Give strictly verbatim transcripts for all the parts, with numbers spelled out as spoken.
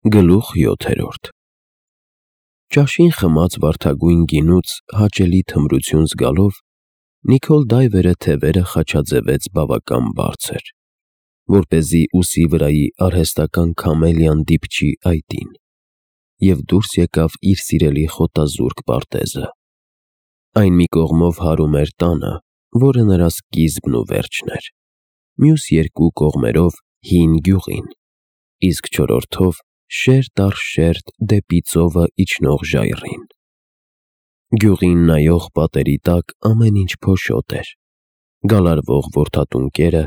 Գլուխ յոթերորդ Ճաշին խմած վարդագույն գինուց հաճելի թմրություն զգալով, Նիքոլ Դայվերը թևերը խաչաձևեց բավական բարձր, որպեսզի ուսի վրայի արհեստական քամելիան դիպչի այտին, և դուրս եկավ իր սիրելի խոտազուրկ պարտեզը. այն մի կողմով հարում էր տանը, որը նրա սկիզբն ու վերջն էր, մյուս երկու կողմերով հին գյուղին, իսկ չորրորդով շերտ առ շերտ դեպի ծովը իջնող ժայռին։ Գյուղին նայող պատերի տակ ամեն ինչ փոշոտ էր, գալարվող որդատուն կերը,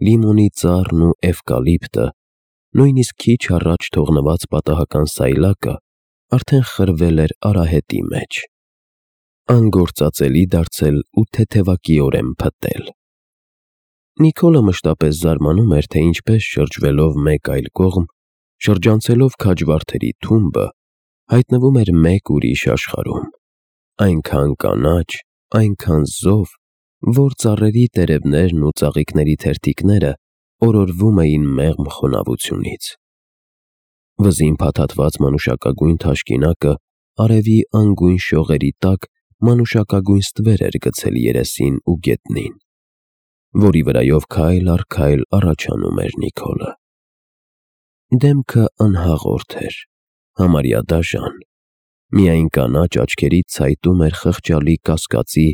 լիմոնի ծառն ու էվկալիպտը, նույնիսկ քիչ առաջ թողնված պատահական սայլակը արդեն խրվել էր արահետի մեջ, անգործածելի դարձել ու թեթևակիորեն փտտել։ Նիքոլը մշտապես զարմանում էր, թե ինչպես շրջվելով մեկ այլ կողմ, շրջանցելով քաջվարդերի թումբը, հայտնվում էր մեկ ուրիշ աշխարհում, այնքան կանաչ, այնքան զով, որ ծառերի տերևներն ու ծաղիկների թերթիկները օրորվում էին մեղմ խոնավությունից։ Վզին փաթաթված մանուշակագույն թաշկինակը արևի անգույն շողերի տակ մանուշակագույն ստվեր էր գցել երեսին ու գետնին, որի վրայով քայլ առ քայլ առաջանում էր Նիքոլը։ Դեմքը անհաղորդ էր, համարյա դաժան, միայն կանաչ աչքերից ցայտում էր խղճալի կասկածի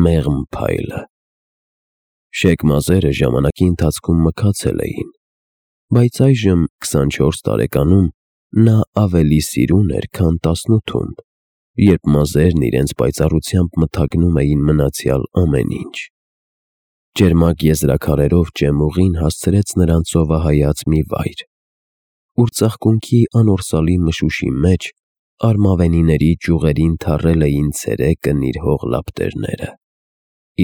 մեղմ փայլը։ Շեկ մազերը ժամանակի ընթացքում մքացել էին, բայց այժմ, քսանչորս տարեկանում, նա ավելի սիրուն էր, քան տասնութում, երբ մազերն իրենց պայծառությամբ մթագնում էին մնացյալ ամեն ինչ։ Ճերմակ եզրաքարերով ճեմուղին հասցրեց նրան ծովահայաց մի վայր, ուր ծաղկունքի անորսալի մշուշի մեջ արմավենիների ճյուղերին թառել էին ցերեկը նիրհող լապտերները,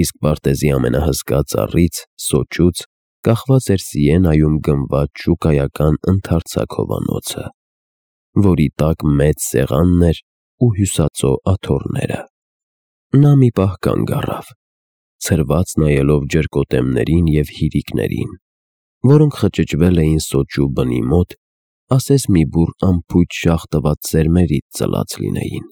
իսկ պարտեզի ամենահսկա ծառից՝ սոճուց, կախված էր Սիենայում գնված շուկայական ընդարձակ հովանոցը, որի տակ մեծ սեղանն էր ու հյուսածո աթոռները։ Նա մի պահ կանգ առավ, ցրված նայելով ջրկոտեմներին և հիրիկներին, որոնք խճճվել էին սոճու բնի մոտ, ասես մի բուռ անփույթ շաղ տված սերմերից ծլած լինեին,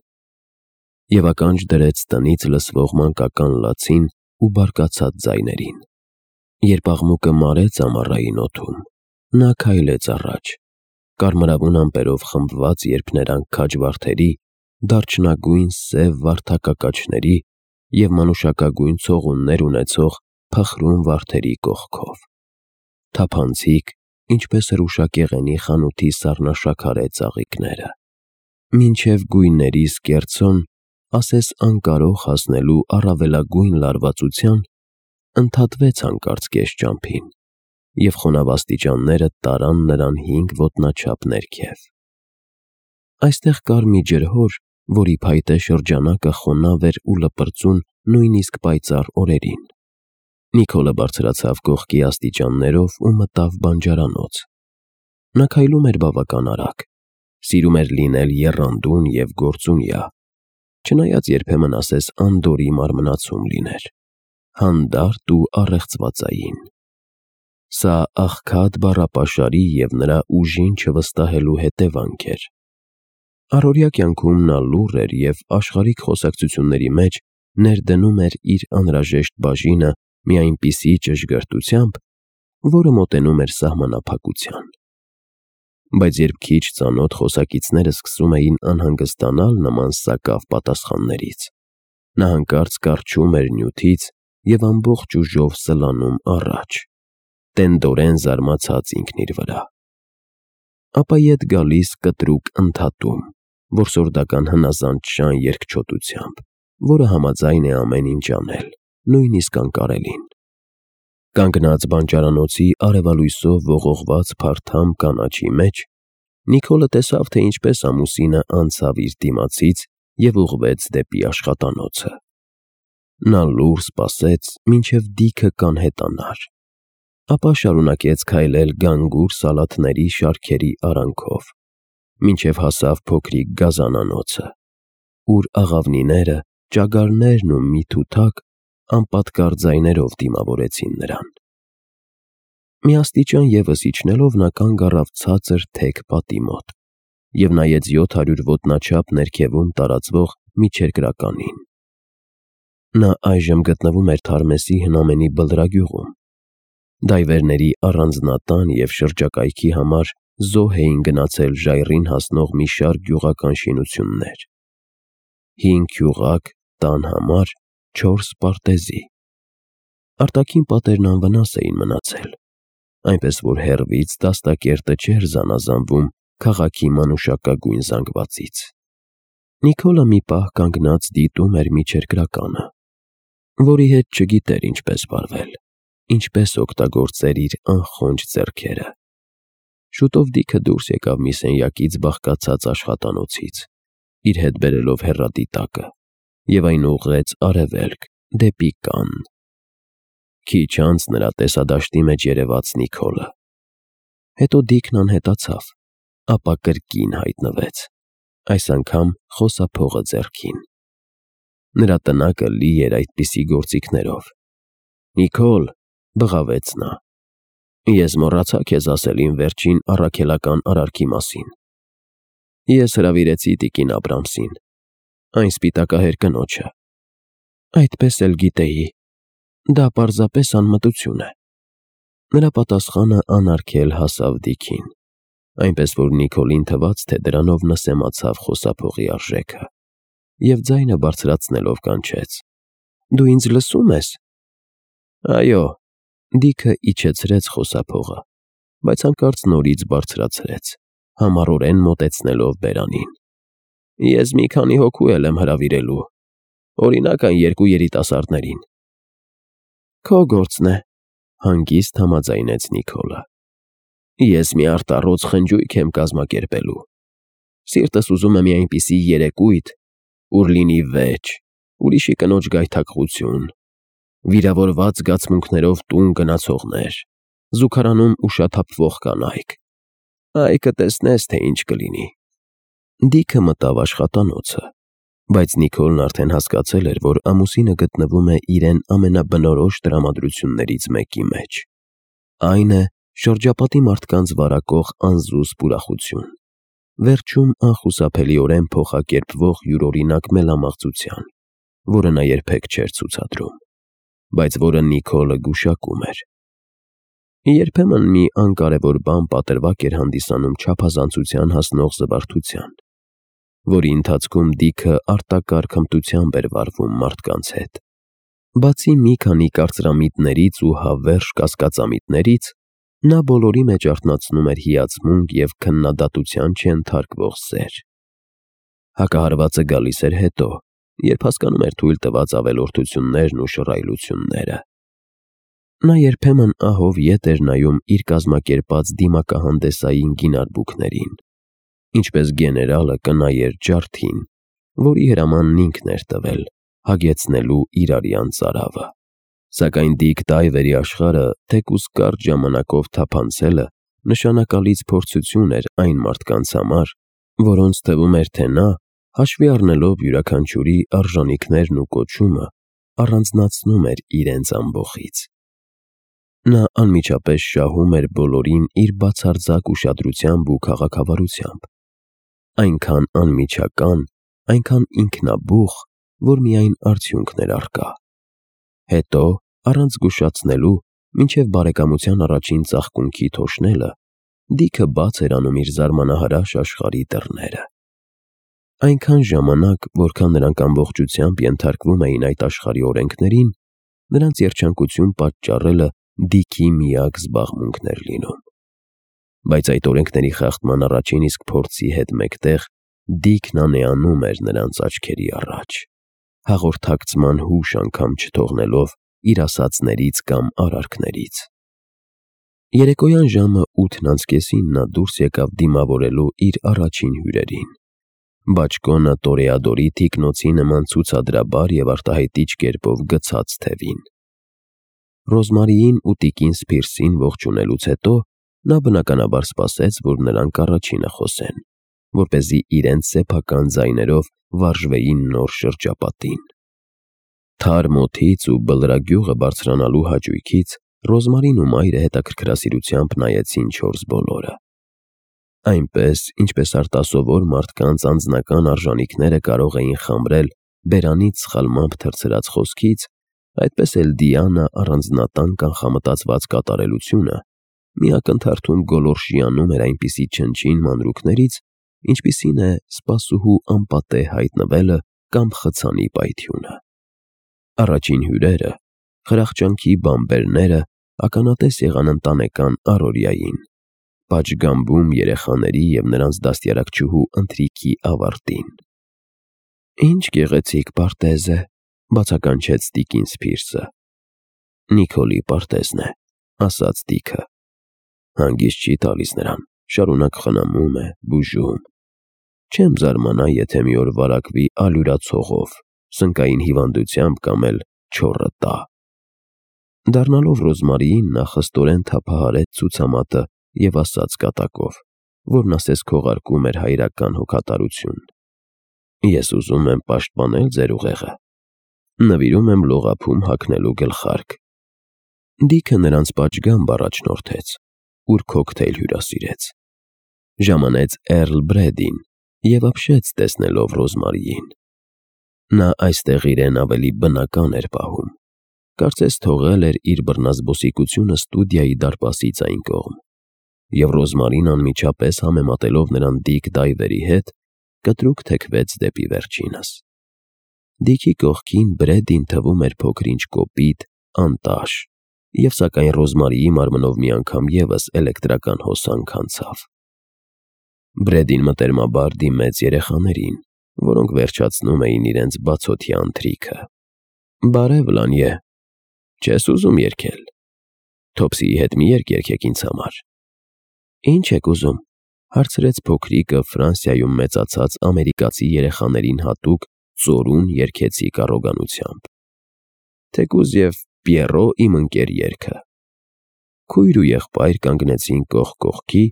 և ականջ դրեց տնից լսվող մանկական լացին ու բարկացած ձայներին։ Երբ աղմուկը մարեց ամառային օդում, նա քայլեց առաջ, կարմրավուն ամպերով խմբված երփներանգ քաջվարդերի, դարչնագույն սև վարդակակաչների և մանուշակագույն ցողուններ ունեցող փխրուն վարդերի կողքով, թափանցիկ, ինչպես հրուշակեղենի խանութի սառնաշաքարե ծաղիկները, մինչև գույների սկերձոն, ասես անկարող հասնելու առավելագույն լարվածության, ընդհատվեց հանկարծ կես ճամփին, և խոնավ աստիճանները տարան նրան հինգ ոտնաչափ ներքև։ Այստեղ կար մի ջրհոր, որի փայտե շրջանակը խոնավ էր ու լպրծուն նույնիսկ պայծառ օրերին։ Նիքոլը բարձրացավ կողքի աստիճաններով ու մտավ բանջարանոց։ Նա քայլում էր բավական արագ, սիրում էր լինել եռանդուն և գործունյա, չնայած երբեմն ասես անդորրի մարմնացում լիներ, հանդարտ ու առեղծվածային։ Սա աղքատ բառապաշարի և նրա ուժին չվստահելու հետևանք էր։ Առօրյա կյանքում նա լուռ էր և աշխարհիկ խոսակցությունների մեջ ներդնում էր իր անհրաժեշտ բաժինը մի այնպիսի ճշգրտությամբ, որը մոտենում էր սահմանափակության։ Բայց երբ քիչ ծանոթ խոսակիցները սկսում էին անհանգստանալ նման սակավ պատասխաններից, նա հանկարծ կառչում էր նյութից և ամբողջ ուժով սլանում առաջ, տենդորեն զարմացած ինքն իր վրա։ Ապա ետ գալիս կտրուկ ընդհատում, որսորդական հնազանդ շան երկչոտությամբ, որը համաձայն է ամեն ինչ անել, նույնիսկ անկարելին։ Կանգնած բանջարանոցի արևալույսով ողողված փարթամ կանաչի մեջ, Նիքոլը տեսավ, թե ինչպես ամուսինը անցավ իր դիմացից և ուղղվեց դեպի աշխատանոցը։ Նա լուռ սպասեց, մինչև դիքը կանհետանար, ապա շարունակեց քայլել գանգուր սալաթների շարքերի արանքով, մինչև հասավ փոքրիկ գազանանոցը, ուր աղավնիները, ճագարներն ու մի թութակ անպատկառ ձայներով դիմավորեցին նրան։ Մի աստիճան ևս իջնելով նա կանգ առավ ցածր թեք պատի մոտ, և նայեց յոթ հարյուր ոտնաչափ ներքևում տարածվող միջերկրականին։ Նա այժմ գտնվում էր Թարմեսի հնամենի բլրագյուղում։ Դայվերների առանձնատան և շրջակայքի համար զոհ էին գնացել ժայռին հասնող մի շարք գյուղական շինություններ։ Հինգ գյուղակ տան համար չորս պարտեզի։ Արտաքին պատերն անվնաս էին մնացել, այնպես որ հեռվից դաստակերտը չէր զանազանվում քաղաքի մանուշակագույն զանգվածից։ Նիկոլը մի պահ կանգնած դիտում էր միջերկրականը, որի հետ չգիտեր ինչպես վարվել, ինչպես օգտագործեր իր անխոնջ ձեռքերը։ Շուտով Դիքը դուրս եկավ մի սենյակից բաղկացած աշխատանոցից, իր հետ բերելով հեռադիտակը, և այն ուղղեց արևելք, դեպի Կանն։ Քիչ անց նրա տեսադաշտի մեջ երևաց Նիկոլը։ Հետո Դիքն անհետացավ, ապա կրկին հայտնվեց, այս անգամ խոսափողը ձեռքին։ Նրա տնակը լի էր այդպիսի գործիքներով։ «Նիկոլ», բղավեց նա, «ես մոռացա քեզ ասել իմ վերջին առաքելական արարքի մասին։ Ես հրավիրեցի տիկին Աբրամսին, այն սպիտակահեր կնոջը»։ Այդպես էլ գիտեի, դա պարզապես անմտություն է։ Նրա պատասխանը անարգել հասավ Դիքին, այնպես որ Նիկոլին թվաց, թե դրանով նսեմացավ խոսափողի արժեքը, և ձայնը բարձրացնելով կանչեց. «Դու ինձ լսո՞ւմ ես»։ «Այո», Դիքը իջեցրեց խոսափողը, բայց հանկարծ նորից բարձրացրեց, համառորեն մոտեցնելով բերանին։ «Ես մի քանի հոգու էլ եմ հրավիրելու, օրինակ այն երկու երիտասարդներին»։ «Քո գործն է», հանգիստ համաձայնեց Նիկոլը։ «Ես մի արտառոց խնջույք եմ կազմակերպելու։ Սիրտս ուզում է մի այնպիսի երեկույթ, ուր լինի վեճ, ուրիշի կնոջ գայթակղություն, վիրավորված զգացմունքներով տուն գնացողներ, զուգարանում ուշաթափվող կանայք։ Այ կտեսնես, թե ինչ կլինի»։ Դիքը մտավ աշխատանոցը, բայց Նիկոլն արդեն հասկացել էր, որ ամուսինը գտնվում է իրեն ամենաբնորոշ տրամադրություններից մեկի մեջ։ Այն է շրջապատի մարդկանց վարակող անզուսպ ուրախություն, վերջում անխուսափելիորեն փոխակերպվող յուրօրինակ մելամաղձության, որը նա երբեք չէր ցուցադրում, բայց որը Նիկոլը գուշակում էր։ Երբեմն մի անկարևոր բան պատրվակ էր հանդիսանում չափազանցության հասնող զվարթության, որի ընթացքում Դիքը արտակարգ հմտությամբ էր վարվում մարդկանց հետ։ Բացի մի քանի կարծրամիտներից ու հավերժ կասկածամիտներից, նա բոլորի մեջ արթնացնում էր հիացմունք և քննադատության չենթարկվող սեր։ Հակահարվածը գալիս էր հետո, երբ հասկանում էր թույլ տված ավելորդություններն ու շռայլությունները։ Նա երբեմն ահով ետ էր նայում իր կազմակերպած դիմակահանդեսային գինարբուքներին, ինչպես գեներալը կնայեր ջարդին, որի հրամանն ինքն էր տվել, հագեցնելու իր արյան ծարավը։ Սակայն Դիք Դայվերի աշխարհը թեկուզ կարճ ժամանակով թափանցելը նշանակալից փորձություն էր այն մարդկանց համար, որոնց թվում էր, թե նա, հաշվի առնելով յուրաքանչյուրի արժանիքներն ու կոչումը, առանձնացնում էր իրենց ամբոխից։ Նա անմիջապես շահում էր բոլորին իր բացարձակ ուշադրությամբ ու քաղաքավարությամբ, այնքան անմիջական, այնքան ինքնաբուխ, որ միայն արդյունքն էր առկա։ Հետո, առանց զգուշացնելու, մինչև բարեկամության առաջին ծաղկունքի թոշնելը, Դիքը բաց էր անում իր զարմանահրաշ աշխարհի դռները։ Այնքան ժամանակ, որքան նրանք ամբողջությամբ ենթարկվում էին այդ աշխարհի օրենքներին, նրանց երջանկություն պատճառելը Դիքի միակ զբաղմունքն էր լինում։ Բայց այդ օրենքների խախտման առաջին իսկ փորձի հետ մեկտեղ Դիքն անեանում էր նրանց աչքերի առաջ, հաղորդակցման հուշ անգամ չթողնելով իր ասածներից կամ արարքներից։ Երեկոյան ժամը ութն անց կեսին նա դուրս եկավ դիմավորելու իր առաջին հյուրերին։ Բաճկոնը տորեադորի թիկնոցի նման ցուցադրաբար և արտահայտիչ կերպով գցած թևին։ Ռոզմարիին ու տիկին Սփիրսին ողջունելուց հետո նա բնականաբար սպասեց, որ նրանք առաջինը խոսեն, որպեսզի իրենց սեփական ձայներով վարժվեին նոր շրջապատին։ Թարմ օդից ու բլրագյուղը բարձրանալու հաճույքից Ռոզմարին ու մայրը հետաքրքրասիրությամբ նայեցին չորս բոլորը։ Այնպես, ինչպես արտասովոր մարդկանց անձնական արժանիքները կարող էին խամրել բերանից սխալմամբ թռցրած խոսքից, այդպես էլ Դիանա առանձնատան կանխամտածված կատարելությունը մի ակնթարթում գոլորշիանում էր այնպիսի չնչին մանրուքներից, ինչպիսին է սպասուհու անպատե հայտնվելը կամ խցանի պայթյունը։ Առաջին հյուրերը, խրախճանքի բամբերները ականատես եղան ընտանեկան առօրյային, պատշգամբում երեխաների և նրանց դաստիարակչուհու ընթրիքի ավարտին։ «Ինչ գեղեցիկ պարտեզ է», բացականչեց տիկին Սփիրսը։ «Նիքոլի պարտեզն է», ասաց Դիքը։ «Հանգիստ չի տալիս նրան, շարունակ խնամում է, բուժում։ Չեմ զարմանա, եթե մի օր վարակվի ալյուրացողով, սնկային հիվանդությամբ կամ էլ չոռը տա»։ Դառնալով Ռոզմարիին, նա խստորեն թափահարեց ցուցամատը և ասաց կատակով, որն ասես քողարկում էր հայրական հոգատարություն. «Ես ուզում եմ պաշտպանել ձեր ուղեղը։ Նվիրում եմ լողափում հագնելու գլխարկ»։ Դիքը նրանց պատշգամբ առաջնորդեց, ուր քոքթեյլ հյուրասիրեց։ Ժամանեց Էռլ Բրեդին և ապշեց տեսնելով Ռոզմարիին։ Նա այստեղ իրեն ավելի բնական էր պահում, կարծես թողել էր իր բռնազբոսիկությունը ստուդիայի դարպասից այն կողմ, և Ռոզմարին անմիջապես համեմատելով նրան Դիք Դայվերի հետ, կտրուկ թեքվեց դեպի վերջինս։ Դիքի կողքին Բրեդին թվում էր փոքր-ինչ կոպիտ, անտաշ, և սակայն Ռոզմարիի մարմնով մի անգամ ևս էլեկտրական հոսանք անցավ։ Բրեդին մտերմաբար դիմեց երեխաներին, որոնք վերջացնում էին իրենց բացօթյա ընթրիքը։ «Բարև, Լանյե, չես ուզում երգել։ Թոփսիի հետ մի երգ երգեք ինձ համար»։ «Ինչ եք ուզում», հարցրեց փոքրիկը Ֆրանսիայում մեծացած ամերիկացի երեխաներին հատուկ ծորուն երգեցիկ առոգանությամբ։ «Թեկուզ և Պիեռո իմ ընկեր» երգը։ Քույր ու եղբայր կանգնեցին կողք կողքի,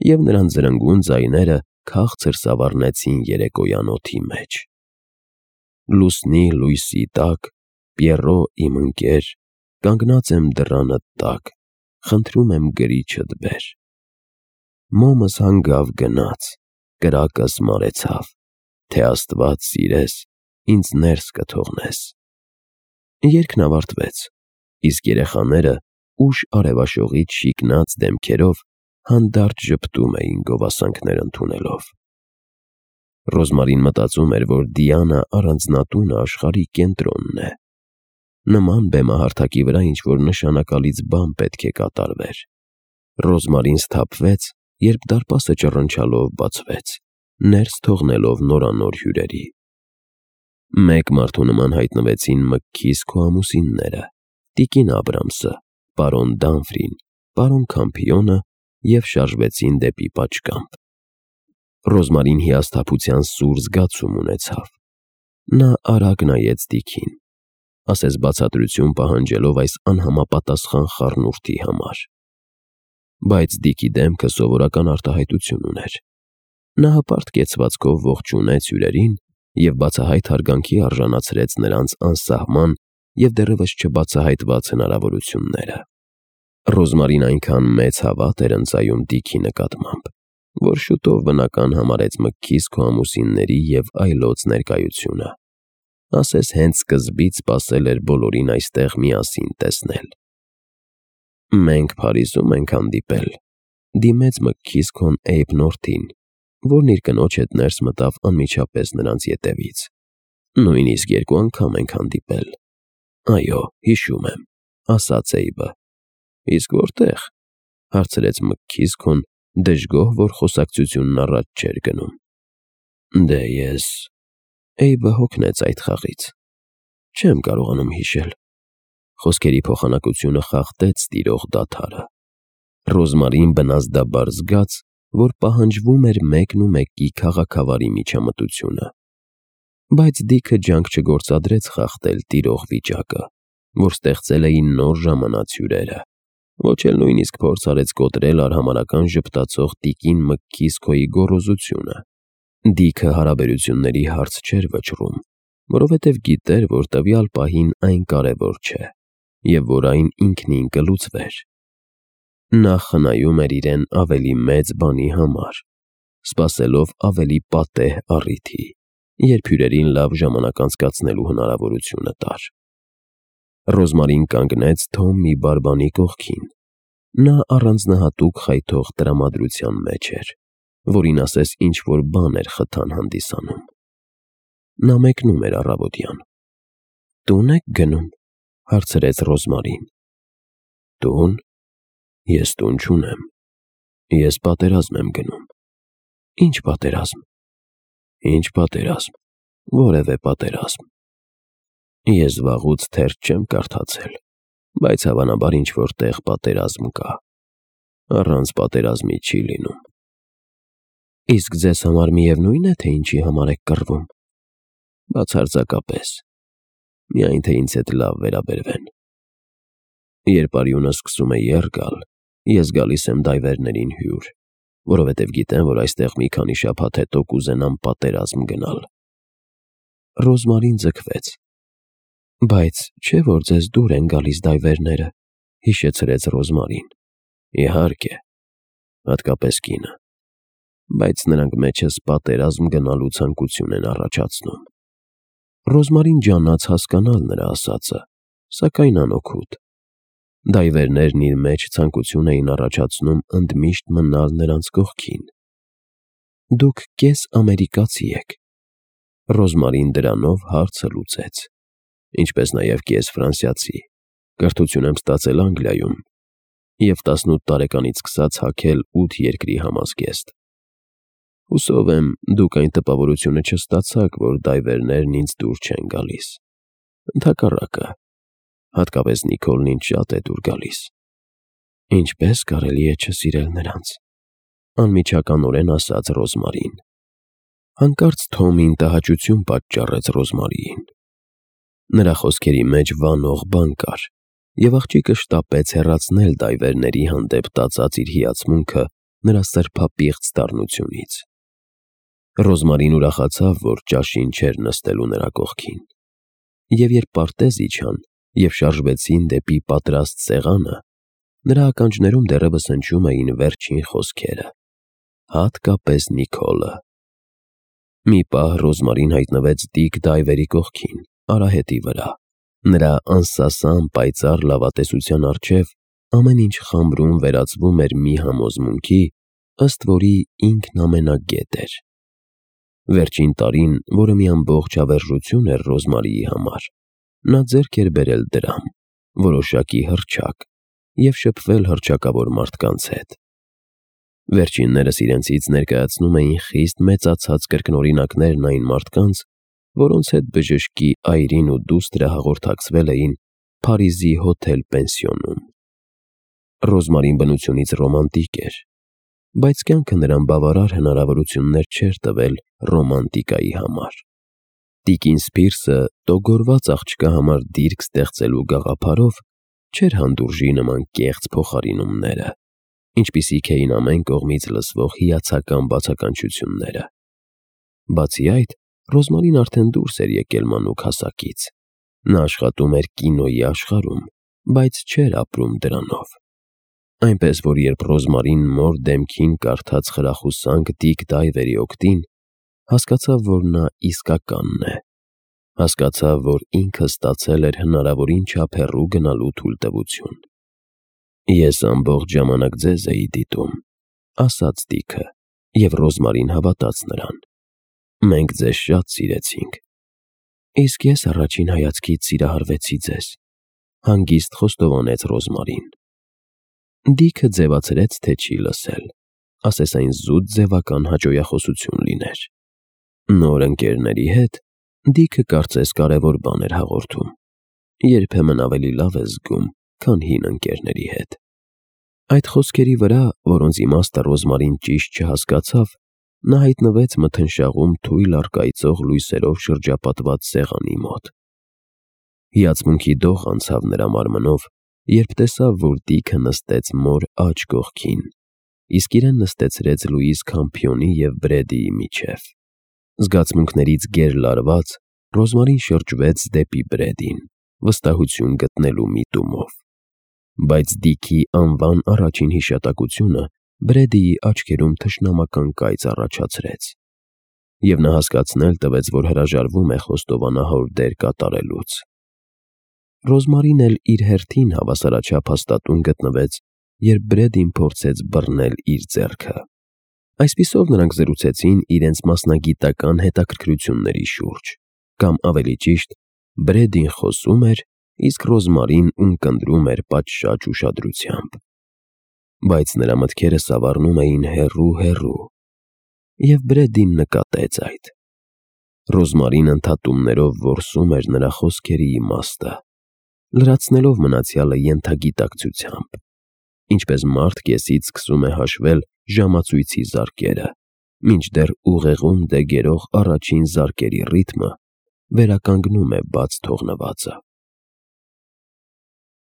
և նրանց զրնգուն ձայները քաղցր սավառնեցին երեկոյան օդի մեջ։ «Լուսնի լույսի տակ, Պիեռո իմ ընկեր, կանգնած եմ դռանդ տակ, խնդրում եմ գրիչդ բեր։ Մոմս հանգավ գնաց, կրակս մարեցավ, թե Աստված սիրես, ինձ ներս կթողնես»։ Երգն ավարտվեց, իսկ երեխաները ուշ արևաշողից շիկնած դեմքերով հանդարտ ժպտում էին գովասանքներ ընդունելով։ Ռոզմարին մտածում էր, որ Դիանա առանձնատունը աշխարհի կենտրոնն է։ Նման բեմահարթակի վրա ինչ-որ նշանակալից բան պետք է կատարվեր։ Ռոզմարին սթափվեց, երբ դարպասը ճռնչալով բացվեց, ներս թողնելով նորանոր հյուրերի։ Մեկ մարդու նման հայտնվեցին մտքիս քո ամուսինները՝ տիկին Աբրամսը, պարոն Դամֆրին, պարոն Քամփիոնը, և շարժվեցին դեպի պատշգամբ։ Ռոզմարին հիասթափության սուր զգացում ունեցավ։ Նա արագ նայեց Դիքին, ասես բացատրություն պահանջելով այս անհամապատասխան խառնուրդի համար։ Բայց Դիքի դեմքը սովորական արտահայտություն ուներ։ Նա հպարտ կեցվածքով ողջունեց հյուրերին և բացահայտ հարգանքի արժանացրեց նրանց անսահման և դեռևս չբացահայտված հնարավորությունները։ Ռոզմարին այնքան մեծ հավատ էր ընծայում Դիքի նկատմամբ, որ շուտով բնական համարեց մտքիս քո ամուսինների և այլոց ներկայությունը, ասես հենց սկզբից սպասել էր բոլորին այստեղ միասին տեսնել։ «Մենք Փարիզում ենք հանդիպել», դիմեց մտքիս քոն Էյբ Նորթին, որն իր կնոջ հետ ներս մտավ անմիջապես նրանց ետևից։ «Նույնիսկ երկու անգամ ենք հանդիպել»։ «Այո, հիշում եմ», ասաց Էյբը։ «Իսկ որտե՞ղ», հարցրեց մտքիս քոն դժգոհ, որ խոսակցությունն առաջ չէր գնում։ «Դե ես…» Էյբը հոգնեց այդ խաղից։ «Չեմ կարողանում հիշել»։ Խոսքերի փոխանակությունը խախտեց տիրող դադարը։ Ռոզմարին բնազդաբար զգաց, որ պահանջվում էր մեկն ու մեկի քաղաքավարի միջամտությունը։ Բայց Դիքը ջանք չգործադրեց խախտել տիրող վիճակը, որ ստեղծել էին նոր ժամանած հյուրերը, ոչ էլ նույնիսկ փորձ արեց կոտրել արհամարհական ժպտացող տիկին Մկքիս Քոյի գոռոզությունը։ Դիքը հարաբերությունների հարց չէր վճռում, որովհետև գիտեր, որ տվյալ պահին այն կարևոր չէ, և որ այն ինքնին կլուծվեր։ Նա խնայում էր իրեն ավելի մեծ բանի համար, սպասելով ավելի պատեհ առիթի, երբ հյուրերին լավ ժամանակ անցկացնելու հնարավորությունը տար։ Ռոզմարին կանգնեց Թոմի բարբանի կողքին։ Նա առանձնահատուկ խայթող տրամադրության մեջ էր, որին ասես ինչ-որ բան էր խթան հանդիսանում։ Նա մեկնում էր առավոտյան։ «Տո՞ւն եք գնում», հարցրեց Ռոզմարին։ «Տուն։ Ես տուն չունեմ։ Ես պատերազմ եմ գնում»։ «Ի՞նչ պատերազմ»։ «Ի՞նչ պատերազմ, որևէ պատերազմ։ Ես վաղուց թերթ չեմ կարդացել, բայց հավանաբար ինչ-որ տեղ պատերազմ կա։ Առանց պատերազմի չի լինում»։ «Իսկ ձեզ համար միևնույն է, թե ինչի համար եք կռվում»։ «Բացարձակապես, միայն թե ինձ հետ լավ վերաբերվեն։ Երբ արյունը սկսում է եռ գալ, ես գալիս եմ դայվերներին հյուր, որովհետև գիտեմ, որ այստեղ մի քանի շաբաթ հետո կուզենամ պատերազմ գնալ»։ Ռոզմարին ձգվեց։ «Բայց չէ՞ որ ձեզ դուր են գալիս դայվերները», հիշեցրեց Ռոզմարին։ «Իհարկե, հատկապես կինը, բայց նրանք մեջս պատերազմ գնալու ցանկություն են առաջացնում»։ Ռոզմարին ջանաց հասկանալ նրա ասածը, սակայն անօգուտ։ Դայվերներն իր մեջ ցանկություն էին առաջացնում ընդմիշտ մնալ նրանց կողքին։ «Դուք կես ամերիկացի եք»։ Ռոզմարին դրանով հարցը լուծեց։ «Ինչպես նաև կես ֆրանսիացի, կրթություն եմ ստացել Անգլիայում և տասնութ տարեկանից սկսած հագել ութ երկրի համազգեստ։ Հուսով եմ, դուք այն տպավորությունը չստացաք, որ դայվերներն ինձ դուր չեն գալիս։ Ընդհակառակը, հատկապես Նիկոլն ինձ շատ է դուր գալիս»։ «Ինչպե՞ս կարելի է չսիրել նրանց», անմիջականորեն ասաց Ռոզմարին։ Հանկարծ Թոմին տհաճություն պատճառեց Ռոզմարիին։ Նրա խոսքերի մեջ վանող բան կար, և աղջիկը շտապեց հեռացնել դայվերների հանդեպ տածած իր հիացմունքը նրա սրբապիղծ դառնությունից։ Ռոզմարին ուրախացավ, որ ճաշին չէր նստելու նրա կողքին։ Եվ երբ պարտեզ իջան և շարժվեցին դեպի պատրաստ սեղանը, նրա ականջներում դեռևս հնչում էին վերջին խոսքերը. «Հատկապես Նիկոլը»։ Մի պահ Ռոզմարին հայտնվեց դիկ դայվերի կողքին, արահետի վրա։ Նրա անսասան պայծառ լավատեսության առջև ամեն ինչ խամրում վերածվում էր մի համոզմունքի, ըստ որի ինքն ամենագետ էր։ Վերջին տարին, որը մի ամբողջ հավերժություն էր Ռոզմարիի համար, նա ձեռք էր բերել դրամ, որոշակի հռչակ և շփվել հռչակավոր մարդկանց հետ։ Վերջիններս իրենցից ներկայացնում էին խիստ մեծացած կրկնօրինակներն այն մարդկանց, որոնց հետ բժշկի այրին ու դուստրը հաղորդակցվել էին Փարիզի հոթել֊պենսիոնում։ Ռոզմարին բնությունից ռոմանտիկ էր, բայց կյանքը նրան բավարար հնարավորություններ չէր տվել ռոմանտիկայի համար։ Տիկին Սփիրսը տոգորված աղջկա համար դիրք ստեղծելու գաղափարով չէր հանդուրժի նման կեղծ փոխարինումները, ինչպիսիք էին ամեն կողմից լսվող հիացական բացականչությունները։ Բացի այդ, Ռոզմարին արդեն դուրս էր եկել մանուկ հասակից։ Նա աշխատում էր կինոյի աշխարհում, բայց չէր ապրում դրանով։ Այնպես որ երբ Ռոզմարին մոր դեմքին կարդաց խրախուսանք դիկ դայվերի օգտին, հասկացավ, որ նա իսկականն է։ Հասկացավ, որ ինքը ստացել էր հնարավորին չափ հեռու գնալու թույլտվություն։ «Ես ամբողջ ժամանակ ձեզ էի դիտում», ասաց Դիքը, և Ռոզմարին հավատաց նրան։ «Մենք ձեզ շատ սիրեցինք»։ «Իսկ ես առաջին հայացքից սիրահարվեցի ձեզ», հանգիստ խոստովանեց Ռոզմարին։ Դիքը ձևացրեց, թե չի լսել, ասես այն զուտ ձևական հաճոյախոսություն լիներ։ Նոր ընկերների հետ Դիքը կարծես կարևոր բան էր հաղորդում։ Երբեմն ավելի լավ ես զգում, քան հին ընկերների հետ։ Այդ խոսքերի վրա, որոնց իմաստը Ռոզմարին ճիշտ չհասկացավ, նա հայտնվեց մթնշաղում թույլ առկայծող լույսերով շրջապատված սեղանի մոտ։ Հիացմունքի դող անցավ նրա մարմնով, երբ տեսավ, որ Դիքը նստեց մոր աջ կողքին, իսկ իրեն նստեցրեց Լուիս Քամփիոնի և Բրեդիի միջև։ Զգացմունքներից գերլարված, Ռոզմարին շրջվեց դեպի Բրեդին, վստահություն գտնելու միտումով։ Բայց Դիքի անվան առաջին հիշատակությունը Բրեդիի աչքերում թշնամական կայծ առաջացրեց, և նա հասկացնել տվեց, որ հրաժարվում է խոստովանահոր դեր կատարելուց։ Ռոզմարին էլ իր հերթին հավասարաչափ հաստատուն գտնվեց, երբ Բրեդին փորձեց բռնել իր ձեռքը։ Այսպիսով նրանք զրուցեցին իրենց մասնագիտական հետաքրքրությունների շուրջ, կամ ավելի ճիշտ, Բրեդին խոսում էր, իսկ Ռոզմարին ունկնդրում էր պատշաճ ուշադրությամբ։ Բայց նրա մտքերը սավառնում էին հեռու֊հեռու, և Բրեդին նկատեց այդ։ Ռոզմարին ընդհատումներով որսում էր նրա խոսքերի իմաստը, լրացնելով մնացյալը ենթագիտակցությամբ, ինչպես մարդ կեսից սկսում է հաշվել ժամացույցի զարկերը, մինչդեռ ուղեղում դեգերող առաջին զարկերի ռիթմը վերականգնում է բաց թողնվածը։